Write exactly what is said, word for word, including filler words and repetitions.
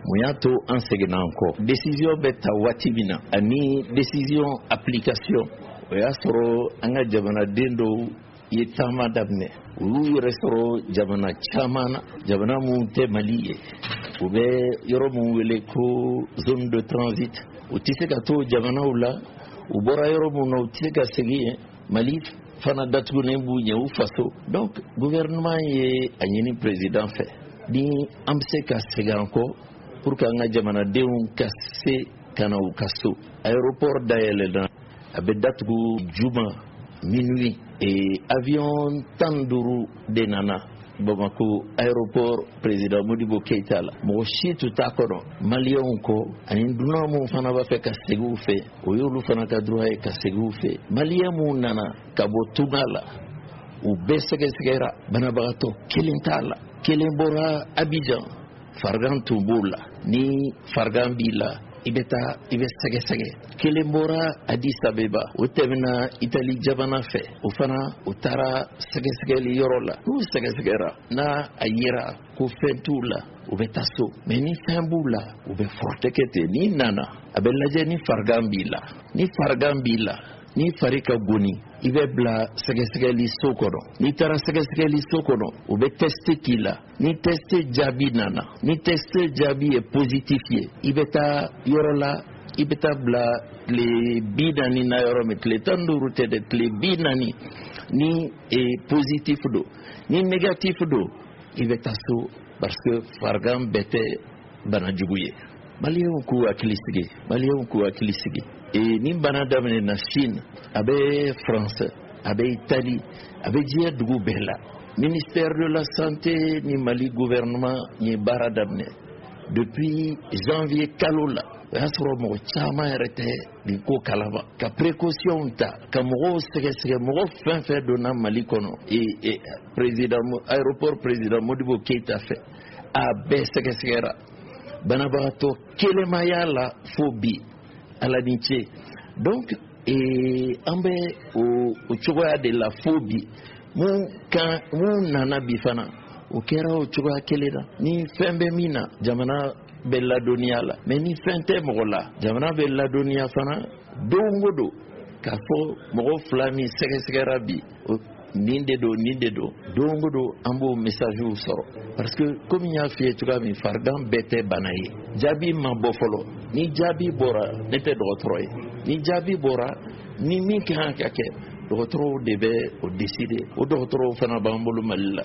Mun y'a to an seginna an kɔ? Décision bɛ ta waati min na ani décision application, o y'a sɔrɔ an ka jamanaden dɔw ye taama daminɛ. U y'u yɛrɛ sɔrɔ jamana caman na, jamana minnu tɛ Mali ye. U bɛ yɔrɔ min wele ko zone de transit, u tɛ se ka to jamanaw la. U bɔra yɔrɔ min na, u tɛ se ka segin yen. Mali fana datugunen b'u ɲɛ, u faso. Donc gouvernement ye a ɲini président fɛ ni an bɛ se ka segin an kɔ pour que an ka jamanadenw ka se ka na u ka so. Aéroport dayɛlɛnna, a bɛ datugu juma minuit. Et avion tan duuru de nana Bamako aéroport Président Modibo Keita la. Mɔgɔ si tun t'a kɔnɔ Maliyɛnw kɔ, ani dunan minnu fana b'a fɛ ka segin u fɛ, o y'olu fana ka droit ye ka segin u fɛ. Maliyɛn minnu nana ka bɔ tunga la, u bɛɛ sɛgɛsɛgɛra, banabagatɔ kelen t'a la. Kelen bɔra Abidjan, farigan tun b'o la. Ni farigan b'i la, i bɛ taa i bɛ sɛgɛsɛgɛ. Kelen bɔra Addis Abeba, o tɛmɛna Itali jamana fɛ, o fana o taara sɛgɛsɛgɛli yɔrɔ la. N'u sɛgɛsɛgɛra, n'a a yera ko fɛn t'u la, u bɛ taa so. Mais ni fɛn b'u la, u bɛ furakɛ kɛ ten. N'i nana, a bɛ lajɛ ni farigan b'i la. Ni farigan b'i la, ni fari ka goni, i bɛ bila sɛgɛsɛgɛli so kɔnɔ. N'i taara sɛgɛsɛgɛli so kɔnɔ, u bɛ test k'i la. Ni test jaabi nana, ni test jaabi ye positif ye, i bɛ taa yɔrɔ la, i bɛ taa bila tile bi naani na. Yɔrɔ min tile tan duuru tɛ dɛ, tile bi naani. Ni e, positif don, ni négatif don, i bɛ taa so, parce que farigan bɛɛ tɛ bana jugu ye. Maliyɛnw k'u hakili sigi, Maliyɛnw k'u hakili sigi. E, ni bana daminɛna Chine, a bɛ France, a bɛ Italie, a bɛ diɲɛ dugu bɛɛ la. Ministère de la Santé ni Mali gouvernement ye baara daminɛ depuis janvier kalo la. O y'a sɔrɔ mɔgɔ caman yɛrɛ tɛ nin ko kalama, ka précaution ta, ka mɔgɔw sɛgɛsɛgɛ. Mɔgɔ fɛn fɛn donna Mali kɔnɔ e, e, président aéroport Président Modibo Keita fɛ, a bɛɛ sɛgɛsɛgɛra. Banabagatɔ kelen ma y'a la fo bi, Ala ni ce. Donc ee, an bɛ o o cogoya de la fo bi. Mun kan mun nana bi fana, o kɛra o cogoya kelen na. Ni fɛn bɛ min na, jamana bɛ ladɔnniya la. Mais ni fɛn tɛ mɔgɔ la, jamana bɛ ladɔnniya fana don o don k'a fɔ mɔgɔ fila min sɛgɛsɛgɛra bi, nin de don, nin de don. Don o don an b'o message sɔrɔ, parce que komi n y'a f'i ye cogoya min, farigan bɛɛ tɛ bana ye. Jaabi ma bɔ fɔlɔ. Ni jaabi bɔra, ne tɛ dɔgɔtɔrɔ ye, ni jaabi bɔra, ni min ka kan ka kɛ, dɔgɔtɔrɔw de bɛ o décider. O dɔgɔtɔrɔw fana b'an bolo Mali la.